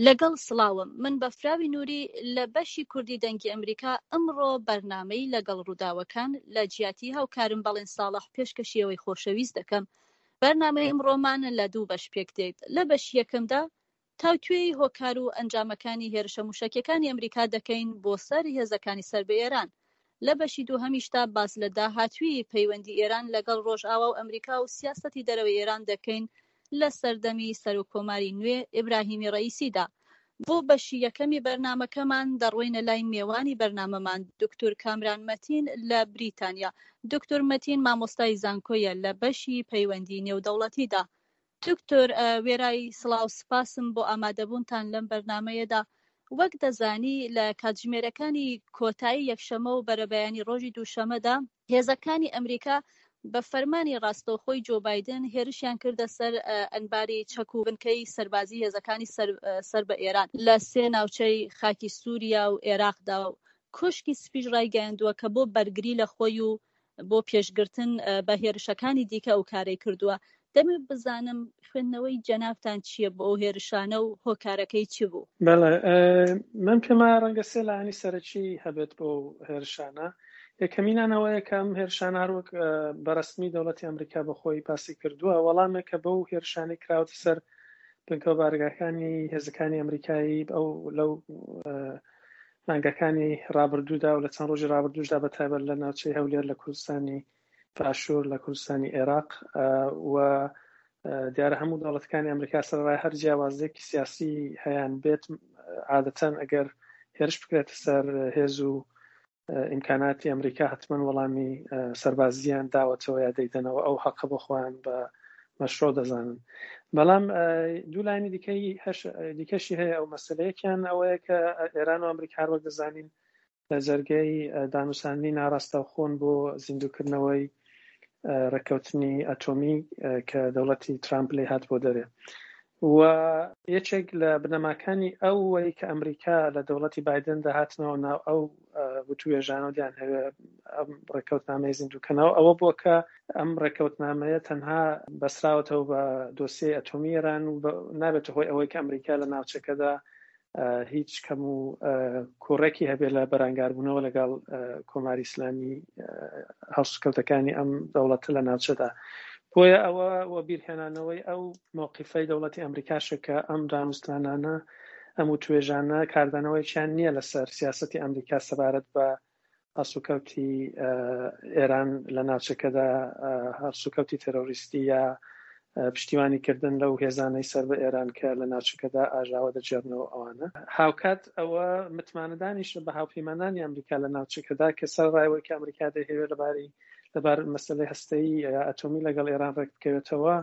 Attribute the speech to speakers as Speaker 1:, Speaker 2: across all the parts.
Speaker 1: لەگەڵ سڵاوم، من بەفراوی نوری لە بەشی کوردی دەنگی ئەمریکا ئەمڕۆ بەرنامەی لەگەڵ ڕووداوەکان لە جیاتی هاوکارم بەڵێن ساڵح پێشکەشی ئێوەی خۆشەویست دەکەم. بەرنامەی ئمڕۆمان لە دوو بەش پێک دێت، لە بەشی یەکەمدا تاوتوێی هۆکار و ئەنجامەکانی هێرشە موشەکیەکانی ئەمریکا دەکەین بۆ سەر هێزەکانی سەر بە ئێران. لە بەشی دووهەمیشدا باس لە داهاتووی پەیوەندی ئێران لەگەڵ ڕۆژئاوا و ئەمریکا و سیاسەتی دەرەوەی ئێران دەکەین لە سەردەمی سەرۆک کۆماری نوێ ئیبراهیمی ڕەئیسیدا. بۆ بەشی یەکەمی بەرنامەکەمان دەڕۆینە لای مێوانی بەرنامەمان دوکتور کامران مەتین لە بریتانیا. دوکتور مەتین مامۆستای زانکۆیە لە بەشی پەیوەندی نێودەوڵەتیدا. دکتۆر وێرای سڵاو سپاسم بۆ ئامادەبوونتان لەم بەرنامەیەدا. وەک دەزانی لە کاتژمێرەکانی کۆتایی یەکشەمە و بەرەبەیانی ڕۆژی دووشەمەدا، هێزەکانی ئەمریکا بە فەرمانی ڕاستەوخۆی جۆ بایدن هێرشیان کردە سەر ئەنباری چەک و بنکەی سەربازی هێزەکانی سەر بە ئێران لە سێ ناوچەی خاکی سووریا و ئێراقدا و کۆشکی سپیش ڕایگەیاندووە کە بۆ بەرگری لە خۆی و بۆ پێشگرتن بە هێرشەکانی دیکە ئەو کارەی کردووە. دەمەوێت بزانم خوێندنەوەی جەنابتان چییە بۆ ئەو هێرشانە و هۆکارەکەی چ بوو؟
Speaker 2: بەڵێ، من پێم وایە ڕەنگە سێ لایەنی سەرەکی هەبێت بۆ هێرشانە. یەکەمینان ئەوەیە کە ئەم هێرشانە هەروەک بە ڕەسمی دەوڵەتی ئەمریکا بە خۆی باسی کردووە، وەڵامێکە بەو هێرشانەی کراوەتە سەر بنکە و بارەگاکانی هێزەکانی ئەمریکایی ئەو لەو مانگەکانی ڕابردوودا و لە چەند ڕۆژی ڕابردووشدا بە تایبەت لە ناوچەی هەولێر لە کوردستانی باشوور لە کوردستانی عێراق و دیارە هەموو دەوڵەتەکانی ئەمریکا سەرەڕای هەر جیاوازیەکی سیاسی هەیان بێت عادەتەن ئەگەر هێرش بکرێتە سەر هێز و ئیمکاناتی ئەمریکا حتمما وەڵامی سەربازیان داوەتەوە یا دەیدەنەوە ئەو حەقە بۆ خۆیان بە مەشرۆ دەزانن بەڵام دوو لایەنی دیکەی دیکەشی هەیە ئەو مەسلەیەکیان ئەوەیە کە ئێران و ئەمریکا هەر وەک دەزانین لە جەرگەی دانوساندنی ناڕاستەوخۆن بۆ زیندووکردنەوەی ڕێککەوتنی ئەتۆمی کە دەوڵەتی ترامپ لێ هات بۆ دەرێ و یەکێک لە بنەماکانی ئەوەی کە ئەمریکا لە دەوڵەتی بایدن دەهاتنەوە ناو ئەو وتوێژانە و دیان هەوێ ئەم ڕێککەوتنامەی زیندووکەنەوە ئەوە بووە کە ئەم ڕێککەوتنامەیە تەنها بەسراوەتەوە بە دۆسیەی ئەتۆمی ئێران و نابێتە هۆی ئەوەی کە ئەمریکا لە ناوچەکەدا هیچ کەم و کوڕێکی هەبێت لە بەرانگاربوونەوە لەگەڵ کۆماری ئیسلامی هەڵسوکەوتەکانی ئەم دەوڵەتە لە ناوچەدا بۆیە ئەوە وەبیرهێنانەوەی ئەو مەوقیفەی دەوڵەتی ئەمریکاشە کە ئەم دانوستانانە ئەم وتوێژانە کاردانەوەیەکیان نییە لەسەر سیاسەتی ئەمریکا سەبارەت بە هەڵسوکەوتی ئێران لە ناوچەکەدا هەڵسوکەوتی تێرۆریستی یا پشتیوانی کردن لەو هێزانەی سەر بە ئێران کە لە ناوچەکەدا ئاژاوە دەگێڕنەوە ئەوانە. هاوکات ئەوە متمانەدانیشە بە هاوپەیمانانی ئەمریکا لە ناوچەکەدا کە سەرەڕای ئەوەی کە ئەمریکا دەیهەوێت لەبارەی لەبار مەسەلەی هەستەیی یا ئەتۆمی لەگەڵ ئێران ڕێک بکەوێتەوە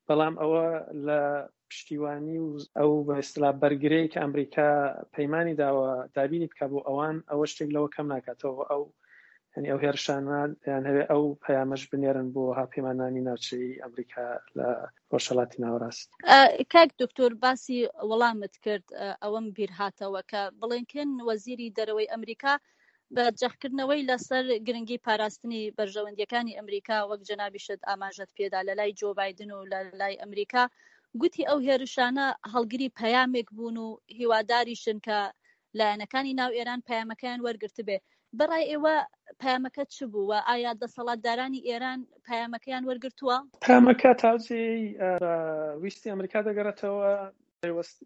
Speaker 2: بەڵام ئەوە لە پشتیوانی و ئەو بە ئیستلا بەرگرەی کە ئەمریکا پەیمانی داوە دابینی بکە بۆ ئەوان ئەوە شتێک لەوە کەم ناکاتەوە ئەو یعنی ئەو هێرشانە یان هەوێ ئەو پەیامەش بنێرن بۆ هاوپەیمانانی ناوچەی ئەمریکا لە ڕۆژهەڵاتی ناوەڕاست.
Speaker 1: کاک دکتۆر باسی وەڵامت کرد ئەوەم بیر هاتەوە کە بڵینکن وەزیری دەرەوەی ئەمریکا بە جەختکردنەوەی لەسەر گرنگی پاراستنی بەرژەوەندییەکانی ئەمریکا، وەک جەنابیشت ئاماژەت پێدا لە لای جۆ بایدن و لە لای ئەمریکا، گوتی ئەو هێرشانە هەڵگری پەیامێک بوون و هیواداریشن کە لایەنەکانی ناو ئێران پەیامەکەیان وەرگرتبێ. بە ڕای ئێوە پەیامەکە چ بوو و ئایا دەسەڵاتدارانی ئێران پەیامەکەیان وەرگرتووە؟
Speaker 2: پەیامەکە تا جێی بە ویستی ئەمریکا دەگەڕێتەوە،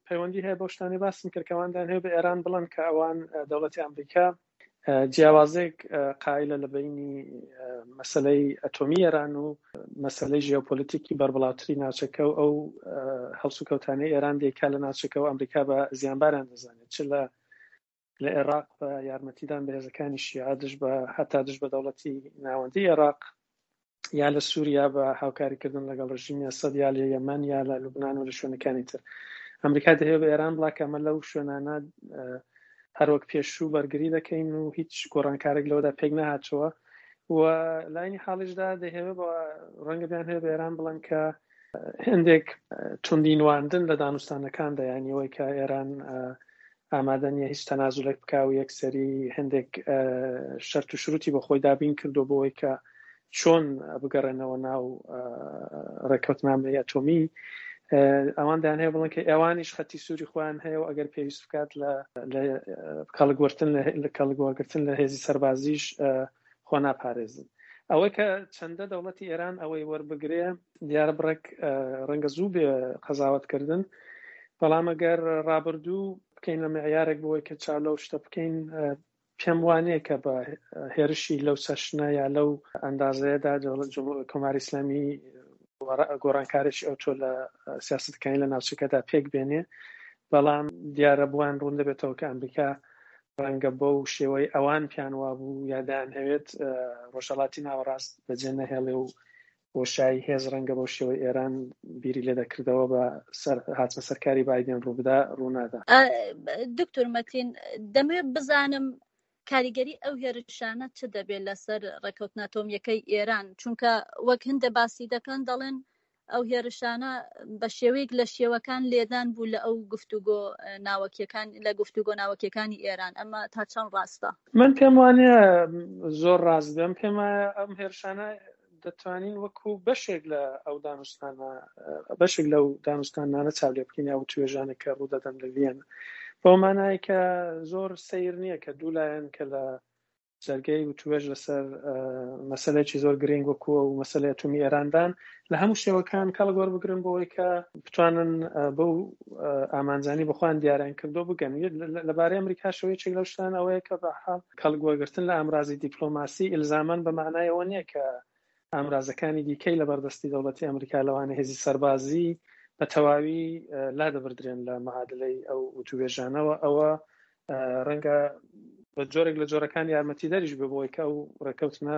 Speaker 2: پەیوەندی هەیە بەو شتانەی باسم کرد کە ئەوان دەیانهەوێت بە ئێران بڵێن کە ئەوان دەوڵەتی ئەمریکا جیاوازێک قایلە لە بینی مەسلەی ئەتۆمی ئێران و مەسلەی ژیۆپۆلیتیکی بەربڵاوتری ناوچەکە و ئەو هەڵسوکەوتانەی ئێران دەیکا لە ناوچەکە و ئەمریکا بە زیانباران دەزانێت چ لە لە عێراق بە یارمەتیدان بە هێزەکانی شیعە دژ بە هەتا دژ بە دەوڵەتی ناوەندی عێراق یا لە سووریا بە هاوکاریکردن لەگەڵ ڕژیمی ئەسەد یا لە یەمەن یا لە لوبناان و لە شوێنەکانی تر ئەمریکا دەهێ بە ئێران بڵا کە ئەمە لەو شوێنانە هەروەک پێشوو بەرگری دەکەین و هیچ گۆڕانکارێک لەوەدا پێک نەهاتووە و لاینی حاڵیشدا دەهێوێ بە ڕەنگە بیان هەیە بە ئێران بڵێن کە هەندێک توندی نواندن لە دانوستانەکاندا یانی ئەوەی کە ئێران ئامادە نییە هیچ تەنازولێک بکا و یەکسەری هەندێک شەرت و شروتی بۆ خۆی دابین کردو بۆ ئەوەی کە چۆن بگەڕێنەوە ناو ڕێککەوتنامەی ئەتۆمی. ئەوان دەیانهەوێت بڵێن کە ئێوانیش خەتی سووری خۆیان هەیە و ئەگەر پێویست بکات لە کەڵک وەرتن لە کەڵک وەرگرتن لە هێزی سەربازیش خۆ ناپارێزن. ئەوەی کە چەندە دەوڵەتی ئێران ئەوەی وەربگرێ دیارە بڕێک ڕەنگە زوو بێ قەزاوەت کردن، بەڵام ئەگەر ڕابردوو بکەین لە معیارێک بۆی کە چاو لەو شتە بکەین پێم وانییە کە بە هێرشی لەو چەشنە یا لەو ئەندازەیەدا کۆماری ئیسلامی گۆڕانکارێکی ئەوتۆ لە سیاسەتەکانی لە ناوچەکەدا پێک بێنێ، بەڵام دیارە بۆیان ڕوون دەبێتەوە کە ئەمریکا ڕەنگە بەو شێوەی ئەوان پێیان وابوو یا دەیانهەوێت ڕۆژهەڵاتی ناوەڕاست بەجێ نەهێڵێ و بۆشایی هێز ڕەنگە بەو شێوەی ئێران بیری لێ دەکردەوە بە سەر هاتنە سەرکاری بایدن ڕووبدا ڕوونادا.
Speaker 1: دکتۆر مەتین دەمەوێت بزانم کاریگەری ئەو هێرشانە چ دەبێت لەسەر ڕێککەوتنە ئەتۆمییەکەی ئێران چونکە وەک هەندێک باسی دەکەن دەڵێن ئەو هێرشانە بە شێوەیەک لە شێوەکان لێدان بوو لە ئەو گفتوگۆ ناوەکیەکان لە گفتوگۆ ناوەکیەکانی ئێران ئەمە تا چەند ڕاستە؟
Speaker 2: من پێم وانە زۆر ڕاست بێم پێم وایە ئەم هێرشانە دەتوانین وەکو بەشێک لە ئەو دانوستانە بەشێک لەو دانوستانانە چاو لێ بکەین یا وتوێژانە کە ڕوودەدەن لە ڤیەن بەو مانای کە زۆر سەیر نییە کە دوو لایەن کە لە جەرگەی وتوێژ لەسەر مەسەلەیەکی زۆر گرنگ وەکو ئەو مەسەلەی ئەتۆمی ئێراندان لە هەموو شێوەکان کەڵک وەربگرن بۆ ئەوەی کە بتوانن بەو ئامانجانی بەخۆیان دیاریان کردو بگەن. لەبارەی ئەمریکاشەوە یەکێک لەو شتان ئەوەیە کە بە حاڵ کەڵک وەرگرتن لە ئامرازی دیپلۆماسی ئیلزامەن بە مانای ئەوە نییە کە ئامرازەکانی دیکەی لەبەردەستی دەوڵەتی ئەمریکا لەوانە هێزی سەربازی بە تەواوی لادەبردرێن لە معادلەی ئەو وتووێژانەوە. ئەوە ڕەنگە بە جۆرێک لە جۆرەکان یارمەتیدەریش بێ بۆی کە ئەو ڕێککەوتنە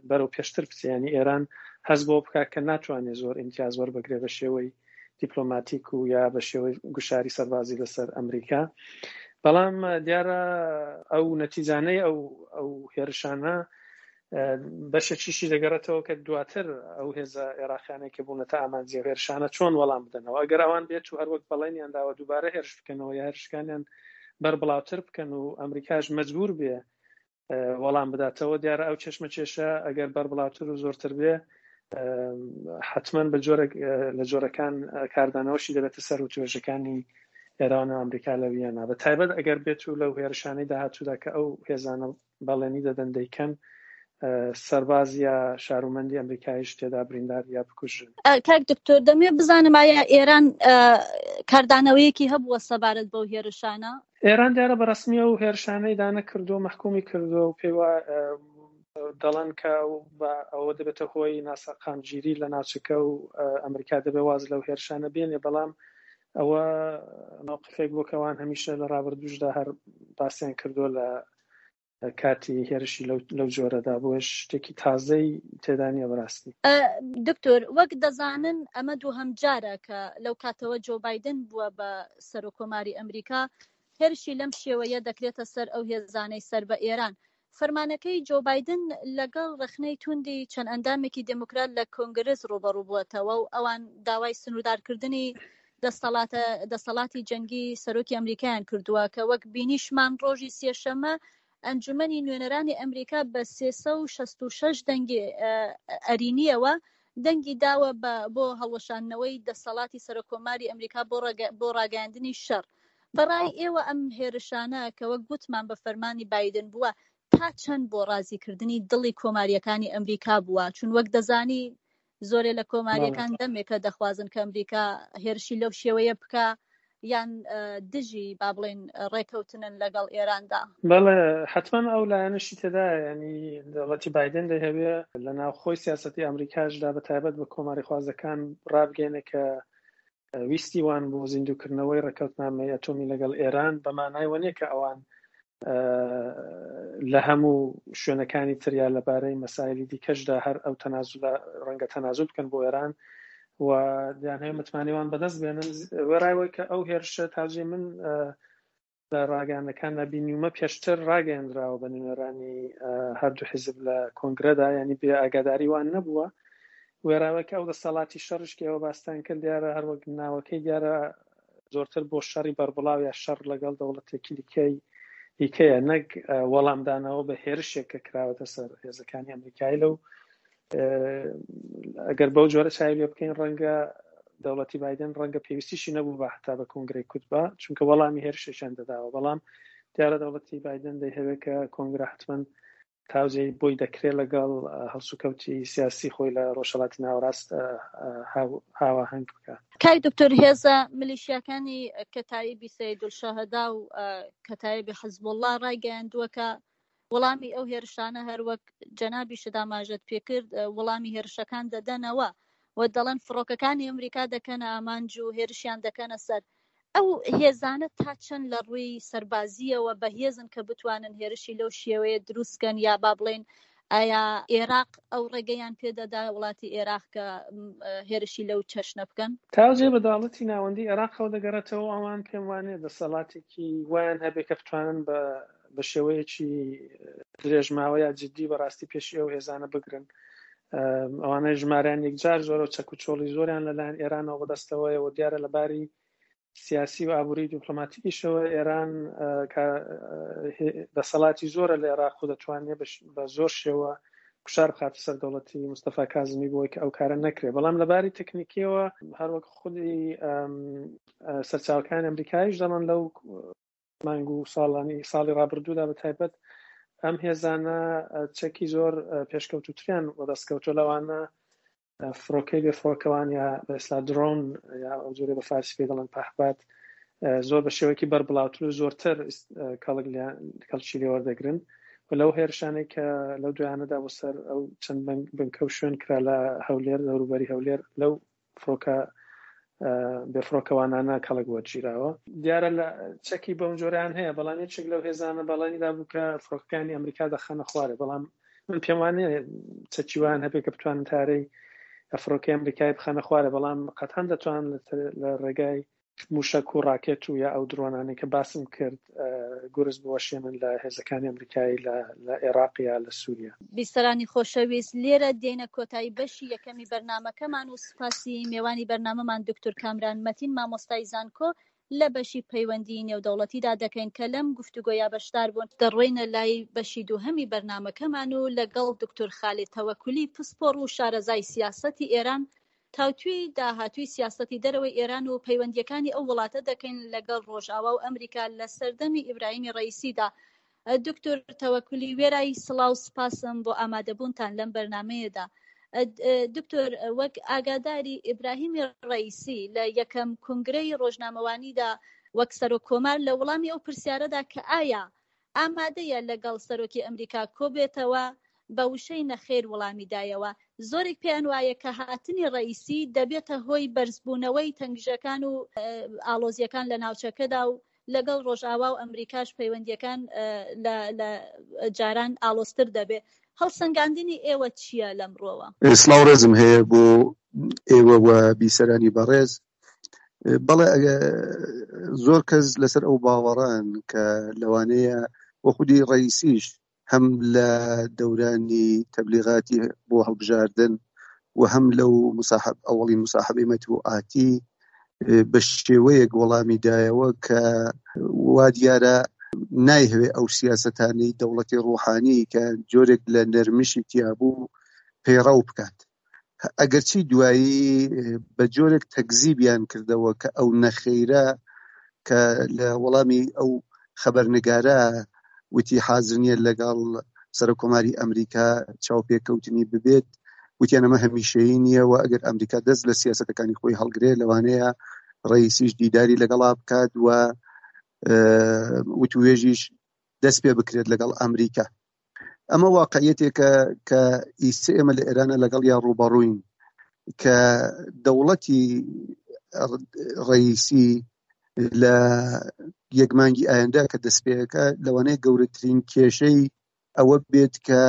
Speaker 2: بەرەو پێشتر بچێ، یانی ئێران هەست بەوە بکات کە ناتوانێت زۆر ئیمتیاز وەربگرێ بە شێوەی دیپلۆماتیک و یا بە شێوەی گوشاری سەربازی لەسەر ئەمریکا. بەڵام دیارە ئەو نەتیجانەی ئەو ئەو هێرشانە بەشێکیشی دەگەڕێتەوە کە دواتر ئەو هێزە عێراقیانەی کە بوونەتە ئامانجی ئەو هێرشانە چۆن وەڵام بدەنەوە، ئەگەر ئەوان بێت و هەروەک بەڵێنیان داوە دووبارە هێرش بکەنەوە یا هێرشەکانیان بەربڵاوتر بکەن و ئەمریکاش مەجبور بێ وەڵام بداتەوە، دیارە ئەو چێشمەکێشە ئەگەر بەربڵاوتر و زۆرتر بێ حتمما بە جۆرێک لە جۆرەکان کاردانەوەشی دەبێتە سەر وتوێژەکانی ئێران و ئەمریکا لە ویەنا، بە تایبەت ئەگەر بێت و لەو هێرشانەی داهاتوودا کە ئەو هێزانە بەڵێنی دەدەن دەیکەن، سەرباز یا شارومەندی ئەمریکاییش تێدا بریندار یا بکوژرن.
Speaker 1: کاک دکتۆر دەمەوێت بزانم ئایا ئێران کاردانەوەیەکی هەبووە سەبارەت بەو هێرشانە؟
Speaker 2: ئێران دیارە بە ڕەسمی ئەو هێرشانەی دانەکردووە، مەحکومی کردووە و پێی وا دەڵێن کە ئەوە دەبێتە هۆی ناسەقامگیری لە ناوچەکە و ئەمریکا دەبێت واز لەو هێرشانە بێنێ، بەڵام ئەوە مەوقفێک بووە کە ئەوان هەمیشە لە ڕابردووشدا هەر باسیان کردووە لە کاتی هێرشی لەو جۆرەدا، بۆیە شتێکی تازەی تێدا نییە بەڕاستی.
Speaker 1: دکتۆر وەک دەزانن ئەمە دووهەم جارە کە لەو کاتەوە جۆ بایدن بووە بە سەرۆککۆماری ئەمریکا هێرشی لەم شێوەیە دەکرێتە سەر ئەو هێزانەی سەر بە ئێران. فەرمانەکەی جۆ بایدن لەگەڵ ڕەخنەی توندی چەند ئەندامێکی دێموکرات لە کۆنگرس ڕووبەڕوو بووەتەوە و ئەوان داوای سنووردارکردنی دەستەڵاتە دەسەڵاتی جەنگی سەرۆکی ئەمریکایان کردووە کە وەک بینیشمان ڕۆژی سێشەممە ئەنجومەنی نوێنەرانی ئەمریکا بە 366 دەنگی ئەرینیەوە دەنگی داوە بە بۆ هەڵوەشاندنەوەی دەسەڵاتی سەرۆککۆماری ئەمریکا بۆ بۆ ڕاگەیاندنی شەڕ. بەڕای ئێوە ئەم هێرشانە کە وەک گوتمان بە فەرمانی بایدن بووە تا چەند بۆ ڕازیکردنی دڵی کۆمارییەکانی ئەمریکا بووە؟ چون وەک دەزانی زۆرێ لە کۆمارییەکان دەمێکە دەخوازن کە ئەمریکا هێرشی لەو شێوەیە بکا یان دژی با بڵێین ڕێکەوتنن لەگەڵ ئێراندا.
Speaker 2: بەڵێ حەتمەن ئەو لایەنەشی تێدایە، یانی دەوڵەتی بایدن دەیهەوێ لە ناوخۆی سیاسەتی ئەمریکاشدا بە تایبەت بە کۆماریخوازەکان ڕابگەیەنێ کە ویستی وان بۆ زیندووکردنەوەی ڕێککەوتنامەی ئەتۆمی لەگەڵ ئێران بە مانای وە نییە کە ئەوان لە هەموو شوێنەکانی تر یا لەبارەی مەسایلی دیکەشدا هەر ئەو تەنازولە ڕەنگە تەنازول بکەن بۆ ئێران و دەیانهەوێت متمانەی وان بەدەست بێنن. وێڕای ئەوەی کە ئەو هێرشە تاجێ من لە ڕاگەیاندنەکاندا بینیومە پێشتر ڕاگەیەندراوە بە نوێنەرانی هەردوو حیزب لە کۆنگرەدا، یانی بێ ئاگاداری وان نەبووە. وێڕای کە ئەو دەسەڵاتی شەڕیش کە ئێوە باستان کرد دیارە هەروەک ناوەکەی دیارە زۆرتر بۆ شەڕی بەربڵاو یا شەڕ لەگەڵ دەوڵەتێکی دیکەی دیکەیە نەک وەڵامدانەوە بە هێرشێک کە کراوەتە سەر هێزەکانی ئەمریکایی لەو ئەگەر بەو جۆرە چاوی لێ بکەین ڕەنگە دەوڵەتی بایدن ڕەنگە پێویستیشی نەبوو بە هەتا بە کۆنگرەی کوتبا چونکە وەڵامی هێرشێکیان دەداوە بەڵام دیارە دەوڵەتی بایدن دەیهەوێت کە کۆنگرە حتمما تاوجێی بۆی دەکرێت لەگەڵ هەڵسوکەوتی سیاسی خۆی لە ڕۆژهەڵاتی ناوەڕاست هاواهەنگ بکات.
Speaker 1: کاک دکتۆر هێزە ملیشیاکانی کەتایبی سەیدولشەهەدا و کەتایبی حزبوڵڵا ڕایگەیاندووە کە وەڵامی ئەو هێرشانە هەروەک جەنابیشت ئاماژەت پێکرد وەڵامی هێرشەکان دەدەنەوە و دەڵێن فڕۆکەکانی ئەمریکا دەکەنە ئامانج و هێرشیان دەکەنە سەر ئەو هێزانە تا چەند لە ڕووی سەربازییەوە بەهێزن کە بتوانن هێرشی لەو شێوەیە دروست کەن یا با بڵێین ئایا ئێراق ئەو ڕێگەیان پێدەدا وڵاتی ئێراق کە هێرشی لەو چەشنە بکەن؟
Speaker 2: تاوجێ بە دەاڵەتی ناوەندی ئێراقەوە دەگەڕێتەوە ئەوان پێم وانیە دەسەڵاتێکی وایان هەبێ کە بتوانن بە بە شێوەیەکی درێژماوە یا جدی بەڕاستی پێشی ئەو هێزانە بگرن ئەوانەی ژمارەیان یەکجار زۆرە و چەک و چۆڵی زۆریان لەلایەن ئێرانەوە بەدەستەوەیە و دیارە لە باری سیاسی و ئابووری دیپلۆماتیکیشەوە ئێران دەسەڵاتی زۆرە لە عێراق و دەتوانێت بە زۆر شێوە گوشار بخاتە سەر دەوڵەتی مستەفا کازمی بۆی کە ئەو کارە نەکرێت بەڵام لە باری تەکنیکیەوە هەروەک خودی سەرچاوەکانی ئەمریکایش دەڵێن لەو مانگ و ساڵانی ساڵی ڕابردوودا بە تایبەت ئەم هێزانە چەکی زۆر پێشکەوتوتریان وەدەستکەوتوە لەوانە فڕۆکەی بێ فڕۆکەوان یا بە ئێستا درۆن یا ئەو جۆرە بە فارسی پێ دەڵێن پەهباد زۆر بە شێوەیەکی بەربڵاوتر و زۆرتر کەڵک کەڵکی لێ وەردەگرن و لەو هێرشانەی کە لەو دویانەدا بۆ سەر ئەو چەند بنکە و شوێن کرا لە هەولێر دەوروبەری هەولێر لەو فڕۆکە بێفڕۆکەوانانە کەڵک وەرگیراوە. دیارە لە چەکی بەم جۆرەیان هەیە، بەڵام یەکێک لەو هێزانە بەڵێنی دابوو کە فڕۆکەکانی ئەمریکا دەخەنە خوارێ، بەڵام من پێم وانیە چەکی وایان هەبێ کە بتوانن تارەی فڕۆکەی ئەمریکای بخەنە خوارێ، بەڵام قەتعەن دەتوانن لە ڕێگای مووشەک و ڕاکێت و یا ئەو درۆنانەی کە باسم کرد گورز بوەشێنن لە هێزەکانی ئەمریکایی لە ئێراق یا لە سووریا.
Speaker 1: بیسەرانی خۆشەویست لێرە دێینە کۆتایی بەشی یەکەمی بەرنامەکەمان و سوپاسی مێوانی بەرنامەمان دکتور کامران مەتین مامۆستای زانکۆ لە بەشی پەیوەندیی نێودەوڵەتیدا دەکەین کە لەم گفتوگۆیە بەشدار بوون. دەڕۆینە لای بەشی دووهەمی بەرنامەکەمان و لەگەڵ دکتور خالید تەوەکولی پسپۆڕ و شارەزای سیاسەتی ئێران تاوتوێی داهاتووی سیاسەتی دەرەوەی ئێران و پەیوەندییەکانی ئەو وڵاتە دەکەین لەگەڵ ڕۆژئاوا و ئەمریکا لە سەردەمی ئیبراهیمی ڕەئیسیدا. دکتۆر تەوەکولی وێرای سڵاو سپاسم بۆ ئامادەبوونتان لەم بەرنامەیەدا. دکتۆر وەک ئاگاداری ئیبراهیمی ڕەئیسی لە یەکەم کونگرەی ڕۆژنامەوانیدا وەک سەرۆک کۆمار لە وڵامی ئەو پرسیارەدا کە ئایا ئامادەیە لەگەڵ سەرۆکی ئەمریکا کۆبێتەوە، بە وشەی نەخێر وڵامی دایەوە. زۆرێک پێیان وایە کە هاتنی ڕەئیسی دەبێتە هۆی بەرزبوونەوەی تەنگژەکان و ئاڵۆزییەکان لە ناوچەکەدا و لەگەڵ ڕۆژئاوا و ئەمریکاش پەیوەندییەکان لە جاران ئاڵۆزتر دەبێت. هەڵسەنگاندنی ئێوە چییە لەم ڕووەوە؟
Speaker 3: سڵاو ڕێزم هەیە بۆ ئێوە و بیسەرانی بەڕێز. بەڵێ زۆر کەس لەسەر ئەو باوەڕان کە لەوانەیە وە خودی ڕئیسیش هەم لە دەورانی تەبلیغاتی بۆ هەڵبژاردن و هەم لەو مساحب ئەوەڵی مساحبەی مەتبوعاتی بە شێوەیەک وەڵامی دایەوە کە وا دیارە نایهوێ ئەو سیاسەتانەی دەوڵەتی ڕوحانی کە جۆرێک لە نەرمشی تیابوو پەیڕەو بکات. ئەگەرچی دوایی بە جۆرێک تەکزیبیان کردەوە کە ئەو نەخەیرە کە لە وەڵامی ئەو خەبەرنگارە وتی حازر نییە لەگەڵ سەرۆککۆماری ئەمریکا چاوپێکەوتنی ببێت وتیان ئەمە هەمیشەیی نییە و ئەگەر ئەمریکا دەست لە سیاسەتەکانی خۆی هەڵگرێت لەوانەیە ڕئیسیش دیداری لەگەڵا بکات و وتوێژیش دەست پێ بکرێت لەگەڵ ئەمریکا ئەمە واقعیەتێکە کە ئیسە ئێمە لە ئێرانە لەگەڵ یا ڕووبەڕووین کە دەوڵەتی ڕئیسی لە یەک مانگی ئایندە کە دەستپێەکە لەوانەیە گەورەترین کێشەی ئەوە بێت کە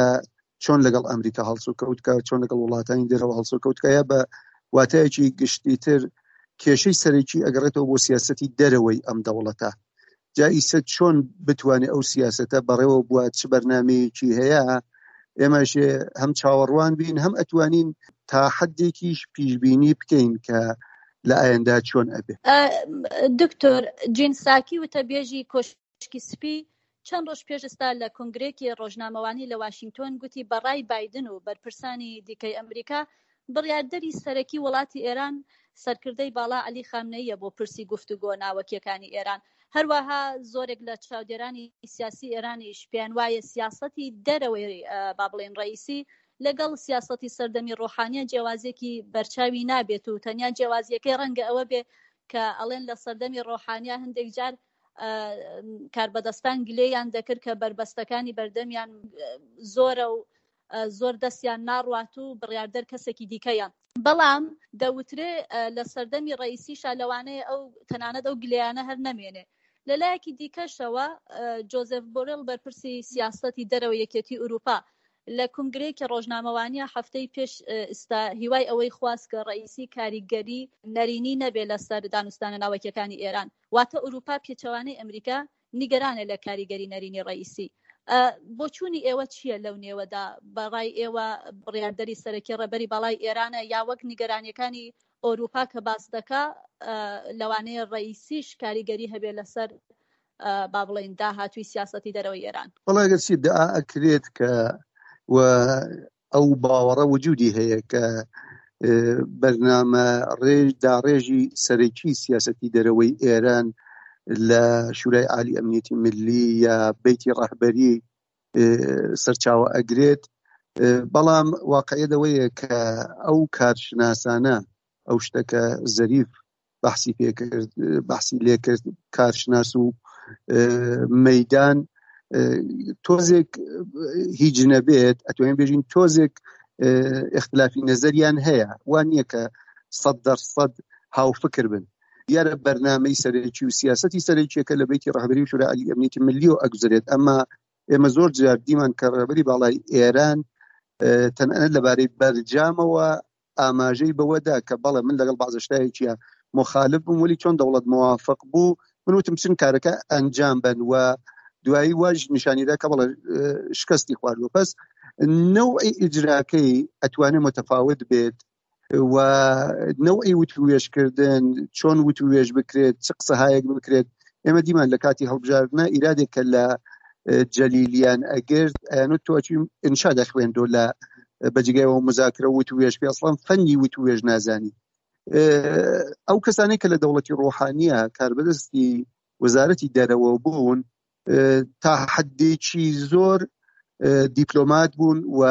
Speaker 3: چۆن لەگەڵ ئەمریکا هەڵسوکەوت کە چۆن لەگەڵ وڵاتانی دەرەوە هەڵسوکەوت کە یا بە واتایەکی گشتیتر کێشەی سەرەکی ئەگەڕێتەوە بۆ سیاستی دەرەوەی ئەم دەوڵەتە جا ئیسە چۆن بتوانێت ئەو سیاسەتە بەڕێوە بووە چ بەرنمەیەکی هەیە ئێمەش هەم چاوەڕوان بین هەم ئەتوانین تا حدێکیش پیشبینی بکەین کە لە ئایندە چۆن ئەبێ.
Speaker 1: دکتۆر جین ساکی وتەبێژی کۆشکی سپی چەند ڕۆژ پێش ئێستا لە کۆنگرەیەکی ڕۆژنامەوانی لە واشینگتۆن گوتی بە ڕای بایدن و بەرپرسانی دیکەی ئەمریکا بڕیاردەری سەرەکی وڵاتی ئێران سەرکردەی باڵا عەلی خامنەییە بۆ پرسی گفتوگۆ ناوەکیەکانی ئێران. هەروەها زۆرێک لە چاودێرانی سیاسی ئێرانیش پێیان وایە سیاسەتی دەرەوەی با بڵێین ڕەئیسی لەگەڵ سیاسەتی سەردەمی ڕۆحانیە جیاوازیەکی بەرچاوی نابێت و تەنیا جیاوازیەکەی ڕەنگە ئەوە بێ کە ئەڵێن لە سەردەمی ڕۆحانیا هەندێک جار کاربەدەستان گلێیان دەکرد کە بەربەستەکانی بەردەمیان زۆرە و زۆر دەستیان ناڕوات و بڕیاردەر کەسێکی دیکەیە. بەڵام دەوترێ لە سەردەمی ڕەئیسیشا لەوانەیە ئەو تەنانەت ئەو گلەیانە هەر نەمێنێ. لە لایەکی دیکەشەوە جۆزێف بۆرێڵ بەرپرسی سیاسەتی دەرەوەی یەکێتی ئورووپا لە کونگرەیەکی ڕۆژنامەوانییا هەفتەی پێش ئیستا هیوای ئەوەی خواست کە ڕەئیسی کاریگەری نەرێنی نەبێ لەسەر دانوستانە ناوەکیەکانی ئێران. واتە ئورووپا پێچەوانەی ئەمریکا نیگەرانە لە کاریگەری نەرێنی ڕەئیسی. بۆچوونی ئێوە چییە لەو نێوەدا؟ بە ڕای ئێوە بڕیاردەری سەرەکی ڕێبەری باڵای ئێرانە یا وەک نیگەرانییەکانی ئۆرووپا کە باس دەکا لەوانەیە ڕەئیسیش کاریگەری هەبێ لەسەر با بڵێین داهاتووی سیاسەتی دەرەوەی ئێران؟
Speaker 3: وەڵا ئەگەرچی ئیدعا ئەکرێت کە و ئەو باوەڕە وجودی هەیە کە بەرنامە ڕێژ داڕێژی سەرەکی سیاسەتی دەرەوەی ئێران لە شورای عالی ئەمنیەتی ملی یا بەیتی ڕەهبەری سەرچاوە ئەگرێت بەڵام واقعیت ئەوەیە کە ئەو کارشناسانە ئەو شتەکە زەریف بەحسی پێکرد بەحسی لێکرد کارشناس و مەدان تۆزێک هیچ نەبێت ئەتوانین بێژین تۆزێک اختلافی نەزەریان هەیە وان نییە کە سەد دەرسەد هاوفکر بن دیارە بەرنامەی سەرەکی و سیاسەتی سەرەکیەکە لە بەیتی ڕەهبەری و شورای عالی ئەمنیەتی ملی و ئەگوزرێت ئەمە ئێمە زۆر جار دیمان کە ڕێبەری باڵای ئێران تەنانەت لەبارەی بەرجامەوە ئاماژەی بەوەدا کە بەڵێ من لەگەڵ بەعزە شتایەکیە مخالف بووم وەلی چۆن دەوڵەت موافق بوو من وتم چن کارەکە ئەنجام بن و دوایی واش نیشانیدا کە بەڵێ شکستی خواردووە پس نەوعی ئیجراکەی ئەتوانێت متفاوت بێت و نەوعی وتوێژکردن چۆن وتوێژ بکرێت چ قسەهایەک بکرێت ئێمە دیمان لە کاتی هەڵبژاردنە ئیرادێک کە لە جەلیلیان ئەگرت ئەیانوت تۆ ئەچی ئینشا دەخوێندۆ لە بەجگەوە مزاکرە وت وێژ پێ ئەسڵەن فەنی وت وێژ نازانی ئەو کەسانەی کە لە دەوڵەتی ڕۆحانیە کاربەدەستی وەزارەتی دەرەوە بوون تا حدێکی زۆر دیپلۆمات بوون و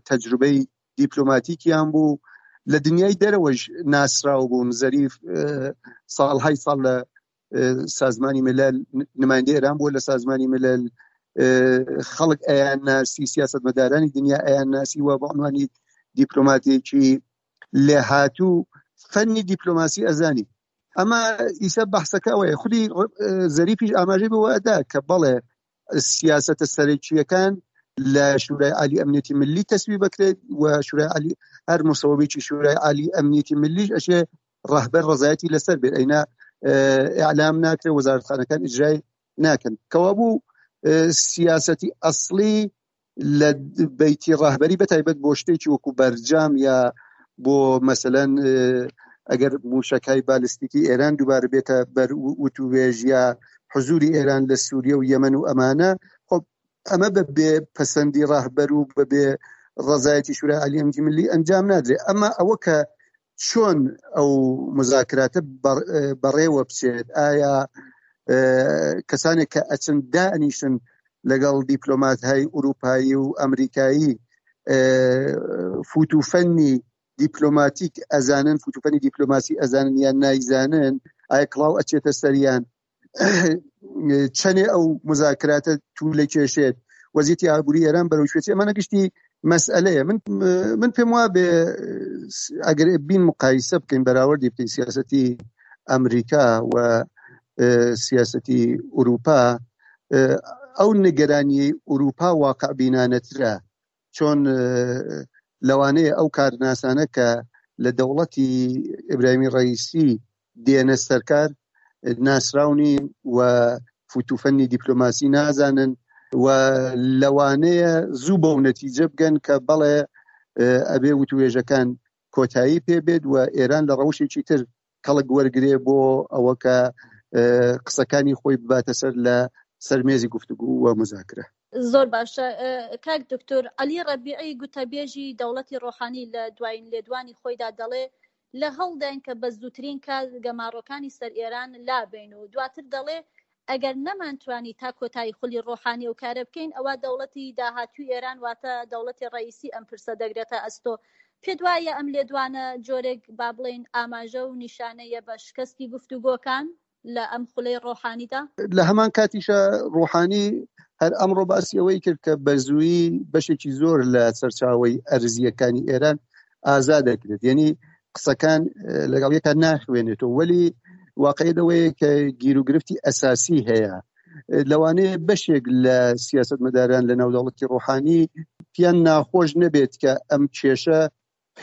Speaker 3: تەجروبەی دیپلۆماتیکیان بوو لە دنیای دەرەوەش ناسراو بوون زەریف ساڵهای ساڵ لە سازمانی ملل نمایندەی ئێران بووە لە سازمانی ملل خەڵک ئەیان ناسی سیاستمەدارانی دنیا ئەیان ناسی و بە عنوانی دیپلۆماتێکی لێهاتوو فەنی دیپلۆماسی ئەزانی ئەمە ئیسە بەحسەکە ئەوەیە خودی زەریفیش ئاماژەی بەوە ئەدا کە بەڵێ سیاسەتە سەرەکییەکان لە شورای عالی ئەمنیەتی ملی تەسویب بکرێت و شورای عالی هەر مسەوەبێکی شورای عالی ئەمنیەتی ملیش ئەشێ ڕەهبەر ڕزایەتی لەسەر بێت ئەینا ئیعلام ناکرێت وەزارەتخانەکان ئیجرای ناکەن کەوابوو سیاسەتی ئەسڵی لە بەیتی ڕەهبەری بە تایبەت بۆ شتێکی وەکو بەرجام یا بۆ مەسەلەن ئەگەر موشەکای بالستیکی ئێران دووبارە بێتە بەر وتوێژ یا حزوری ئێران لە سووریە و یەمەن و ئەمانە خۆ ئەمە بە بێ پەسەندی ڕەهبەر و بە بێ ڕەزایەتی شورای عالی ئەمنیەتی ملی ئەنجام نادرێت ئەمە ئەوە کە چۆن ئەو مزاکراتە بەڕێوە بچێت ئایا کەسانێک کە ئەچن دانیشن لەگەڵ دیپلۆمات های ئوروپایی و ئەمریکایی فوتوفەنی دیپلۆماتیک ئەزانن فوتوفەنی دیپلۆماسی ئەزانن یان نایزانن ئایا کڵاو ئەچێتە سەریان چەنێ ئەو مزاکراتە تو لە کێشێت وەزیتی ئابووری ئێران بەرەو کوێ ئەمانە گشتی مەسئلەیە من من پێم وا بێ ئەگەر بین مقایسە بکەین بەراوردی بکەین سیاستی ئەمریکا و سیاستی ئوروپا ئەو نیگەرانیەی ئوروپا واقع بینانەترە چۆن لەوانەیە ئەو کارناسانە کە لە دەوڵەتی ئیبراهیمی ڕەئیسی دێنە سەرکار ناسراو نین و فوتوفەنی دیپلۆماسی نازانن و لەوانەیە زوو بەو نەتیجە بگەن کە بەڵێ ئەبێ وتوێژەکان کۆتایی پێ بێت و ئێران لە ڕەوشێکی تر کەڵک وەرگێ بۆ ئەوە کە قسەکانی خۆی بباتە سەر لە سەر مێزی گفتوگو و مزاکرە.
Speaker 1: زۆر باشە کاک دکتۆر عەلی ڕەبیعی گوتەبێژی دەوڵەتی ڕۆحانی لە دوایین لێدوانی خۆیدا دەڵێ. لە هەوڵداین کە بە زووترین کات گەماڕۆکانی سەر ئێران لابەین و دواتر دەڵێ ئەگەر نەمانتوانی تا کۆتایی خولی ڕۆحانی ئەو کارە بکەین ئەوا دەوڵەتی داهاتووی ئێران واتە دەوڵەتی ڕەئیسی ئەم پرسە دەگرێتە ئەستۆ. پێت وایە ئەم لێدوانە جۆرێک با بڵێین ئاماژە و نیشانەیە بە شکستی گفتوگۆکان لە ئەم خولەی ڕۆحانیدا؟
Speaker 3: لە هەمان کاتیشا ڕۆحانی هەر ئەمڕۆ باسی ئەوەی کرد کە بە زوویی بەشێکی زۆر لە سەرچاوەی ئەرزییەکانی ئێران ئازاد دەکرێت یعنی قسەکان لەگەڵ یەکا ناخوێنێتەوە وەلی واقعیت ئەوەیە کە گیروگرفتی ئەساسی هەیە لەوانەیە بەشێک لە سیاستمەداران لە ناو دەوڵەتی ڕۆحانی پیان ناخۆش نەبێت کە ئەم کێشە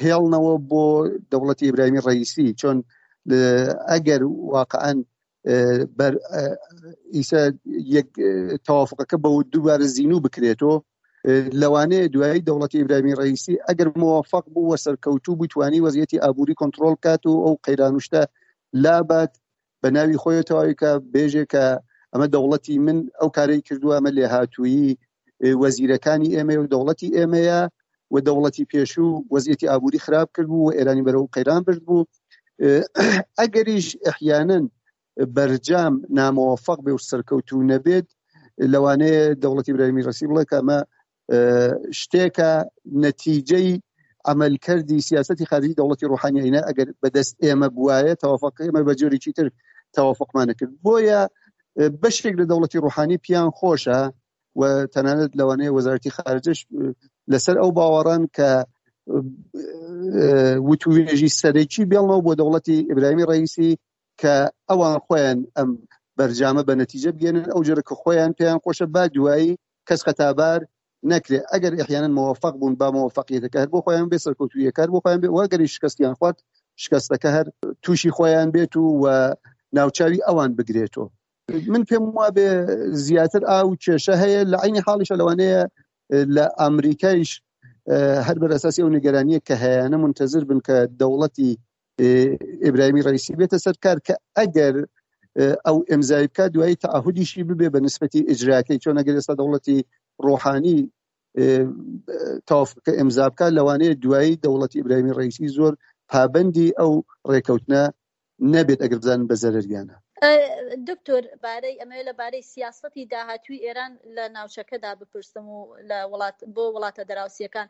Speaker 3: هێڵنەوە بۆ دەوڵەتی ئیبراهیمی ڕئیسی چۆن ئەگەر واقعا بەر ئیسە یەک تەوافقەکە بە دووبارە زیینوو بکرێتەوە لەوانەیە دوایی دەوڵەتی ئیبراهیمی ڕئیسی ئەگەر موفق بوو و سەرکەوتوو بوو توانی وەزیەتی ئابووری کۆنتترۆل بکات و ئەو قەیرانوشتە لابات بە ناوی خۆی تەواوی کە بێژێ کە ئەمە دەوڵەتی من ئەو کارەی کردووە ئەمە لێهاتوویی وەزیرەکانی ئێمە و دەوڵەتی ئێمەیە و دەوڵەتی پێشوو وەزیەتی ئابووری خراپ کرد بوو و ئێرانی بەرەو قەیران برد بوو ئەگەریش ئەحیانەن بەرجام نامەوەفەق بێ و سەرکەوتوو نەبێت لەوانەیە دەوڵەتی ئیبراهیمی ڕەسی بڵێ کە ئەمە شتێکە نەتیجەی عملکردی سیاستی خارجی دەوڵەتی ڕۆحانی ئەینا ئەگەر بەدەست ئێمە بواە تەوافق ئێمە بە جۆرێکی تر تەوافقمانە کرد بۆیە بەشێک لە دەوڵەتی ڕۆحانی پیان خۆشە و تەنانەت لەوانەیە وەزارەتی خارجش لەسەر ئەو باوەڕان کە وتوێژی سەرەکی بێڵنەوە بۆ دەوڵەتی ئیبراهیمی ڕئیسی کە ئەوان خۆیان ئەم بەرجامە بە نەتیجە بگەێنن ئەو جۆرە کە خۆیان پێیان خۆشە با دوایی کەس خەتابار نەکرێ ئەگەر ئەحیانەن مۆفق بوون با مۆفقیەتەکە هەر بۆ خۆیان بێ سەرکەوتوویەکە هەر بۆ خۆیان بێ و ئەگەری شکستیان خوارد شکستەکە هەر تووشی خۆیان بێت و و ناوچاوی ئەوان بگرێتەوە من پێم وابێ زیاتر ئاو کێشە هەیە لە عینی حاڵیشە لەوانەیە لە ئەمریکایش هەر بەرەساسی ئەو نیگەرانیە کە هەیەە منتەزر بن کە دەوڵەتی ئیبراهیمی ڕئیسی بێتە سەر کار کە ئەگەر ئەو ئەمزای بکات دوایی تعهدیشی ببێ بە نسبەتی ئیجراکەی چۆن ئەگەر ئێستا دەوڵەتی ڕۆحانی تەوافقەکە ئیمزا بکات لەوانەیە دوایی دەوڵەتی ئیبراهیمی ڕئیسی زۆر پابندی ئەو ڕێکەوتنە نەبێت ئەگەر بزانن بە زەرەریانە.
Speaker 1: دکتۆر بارەی ئەمەوێ لە بارەی سیاسەتی داهاتووی ئێران لە ناوچەکەدا بپرسم و لە وڵات بۆ وڵاتە دەراوسیەکان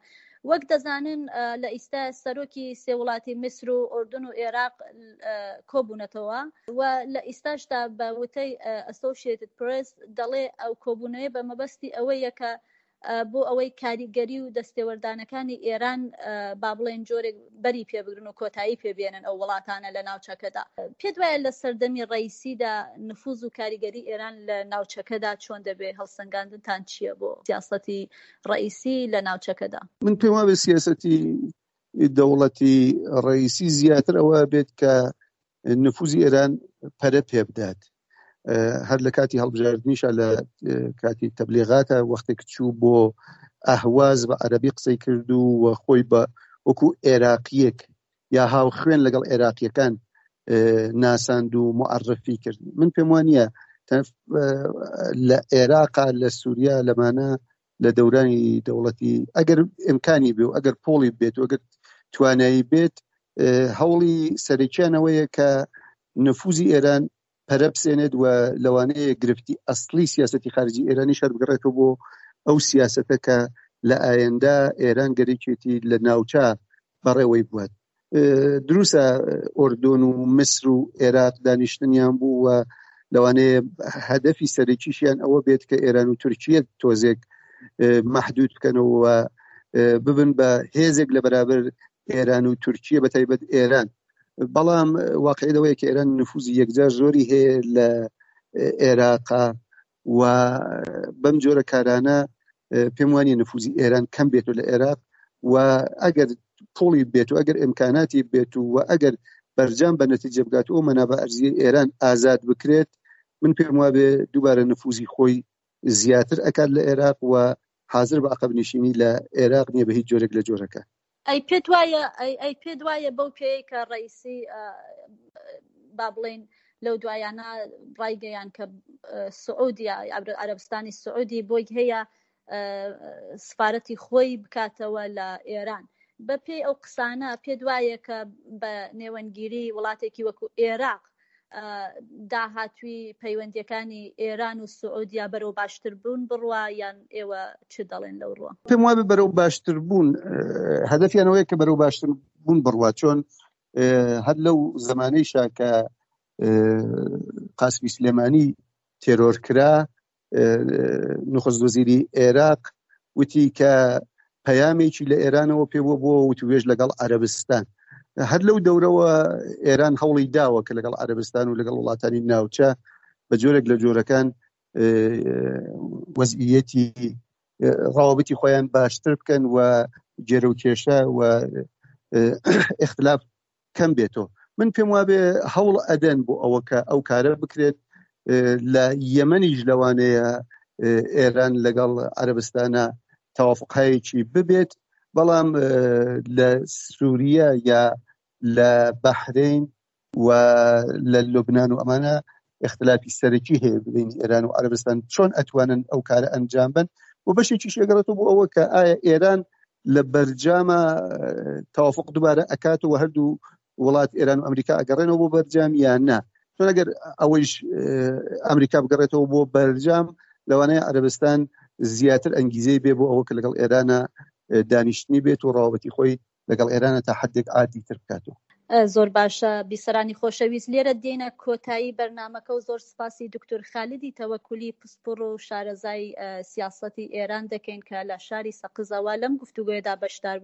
Speaker 1: وەک دەزانن لە ئیستا سەرۆکی سێ وڵاتی میسر و ئوردن و عێراق کۆبوونەتەوە و لە ئیستاشدا بە وتەی ئەسۆشیتد پرێس دەڵێ ئەو کۆبوونەوەی بە مەبەستی ئەوەیە کە بۆ ئەوەی کاریگەری و دەستێوەردانەکانی ئێران با بڵێن جۆرێک بەری پێبگرن و کۆتایی پێبێنن ئەو وڵاتانە لە ناوچەکەدا. پێت وایە لە سەردەمی ڕەئیسیدا نفوز و کاریگەری ئێران لە ناوچەکەدا چۆن دەبێ؟ هەڵسەنگاندنتان چییە بۆ سیاسەتی ڕەئیسی لە ناوچەکەدا؟
Speaker 3: من پێم وابێ سیاسەتی دەوڵەتی ڕەئیسی زیاتر ئەوە بێت کە نفوزی ئێران پەرە پێ بدات هەر لە کاتی هەڵبژاردنیشە لە کاتی تەبلیغاتە وەختێک چوو بۆ ئەهواز بە عەربی قسەی کرد و و خۆی بە وەکو عێراقیەک یا هاوخوێن لەگەڵ عێراقیەکان ناساند و معرفی کرد من پێم وانە لە عێراقا لە سووریا لەمانە لە دەورانی دەوڵەتی ئەگەر ئیمکانی بێ و ئەگەر پۆڵی بێت و ئەگەر توانایی بێت هەوڵی سەرەکیانەوەیە کە نفوزی ئێران پەرە بسێنێت و لەوانەیە گرفتی ئەسلی سیاستی خارجی ئێرانی شەر بگەڕێتەوە بۆ ئەو سیاستە کە لە ئایندە ئێران گەرەکێتی لە ناوچە بەڕێوەی بوات دروستە ئۆردۆن و میسر و عێراق دانیشتنیان بوو و لەوانەیە هەدەفی سەرەکیشیان ئەوە بێت کە ئێران و تورکیە تۆزێک محدود بکەنەوە ببن بە هێزێک لە بەرابەر ئێران و تورکیە بە تایبەت ئێران بەڵام واقعی لەوەیە کە ئێران نفوزی یەکجار زۆری هەیە لە عێراقا و بەم جۆرە کارانە پێم وانە نفوزی ئێران کەم بێت و لە عێراق و ئەگەر پوڵی بێت و ئەگەر ئیمکاناتی بێت و ئەگەر بەرجام بە نەتیجە بگات و مەنابع ئەرزیە ئێران ئازاد بکرێت من پێم وابێ دووبارە نفوزی خۆی زیاتر ئەکات لە عێراق و حاضر بە عقب نشینی لە عێراق نییە بە هیچ جۆرێک لە جۆرەکە
Speaker 1: ئەی پێت وایە ئەی ئەی پێت وایە بەو پێیەی کە ڕئیسی با بڵێین لەو دوایانە ڕایگەیان کە سعودیا عەرەبستانی سعودی بۆی هەیە سفارەتی خۆی بکاتەوە لە ئێران. بە پێی ئەو قسانە پێت وایە کە بە نێوەندگیری وڵاتێکی وەکو ئێراق داهاتووی پەیوەندیەکانی ئێران و سعودیا بەرەو باشتر بوون بڕوا یان ئێوە چ دەڵێن لەو ڕووە؟
Speaker 3: پێم وابێ بەرەو باشتر بوون هەدەفیان ئەوەیە کە بەرەو باشتر بوون بڕوا چۆن هەر لەو زمانەیشا کە قاسمی سلێمانی تێرۆر کرا نخست وەزیری عێراق وتی کە پەیامێکی لە ئێرانەوە پێ بووە بۆ وتوێژ لەگەڵ عەرەبستان هەر لەو دەورەوە ئێران هەوڵی داوە کە لەگەڵ عەرەبستان و لەگەڵ وڵاتانی ناوچە بە جۆرێک لە جۆرەکان وەزعیەتی ڕەوابتی خۆیان باشتر بکەن و گێرە و کێشە و اختلاف کەم بێتەوە من پێم وابێ هەوڵ ئەدەن بۆ ئەوە کە ئەو کارە بکرێت لە یەمەنیش لەوانەیە ئێران لەگەڵ عەربستانە تەوافقایەکی ببێت بەڵام لە سووریا یا لە بەحرین و لە لوبناان و ئەمانە اختلافی سەرەکی هەیە بینی ئێران و عەربستان چۆن ئەتوانن ئەو کارە ئەنجام بن و بەشێکی شێگەڕێتەوە بۆ ئەوە کە ئایا ئێران لە بەرجامە تەوافق دووبارە ئەکاتەوە هەردوو وڵات ئێران و ئەمریکا ئەگەڕێنەوە بۆ بەرجام یان نا چۆن ئەگەر ئەوەیش ئەمریکا بگەڕێتەوە بۆ بەرجام لەوانەیە عەربستان زیاتر ئەنگیزەی بێ بۆ ئەوە کە لەگەڵ ئێرانە دانیشتنی بێت و ڕاوبەتی خۆی لەگەڵ ئێرانە تا حدێک عادی تر بکاتەوە.
Speaker 1: زۆر باشە بیسەرانی خۆشەویست لێرە دێینە کۆتایی بەرنامەکە و زۆر سپاسی دکتور خالدی تەوەکولی پسپوڕ و شارەزای سیاسەتی ئێران دەکەین کە لە شاری سەقزەوە لەم گفتوگۆیەدا بەشدار بوو.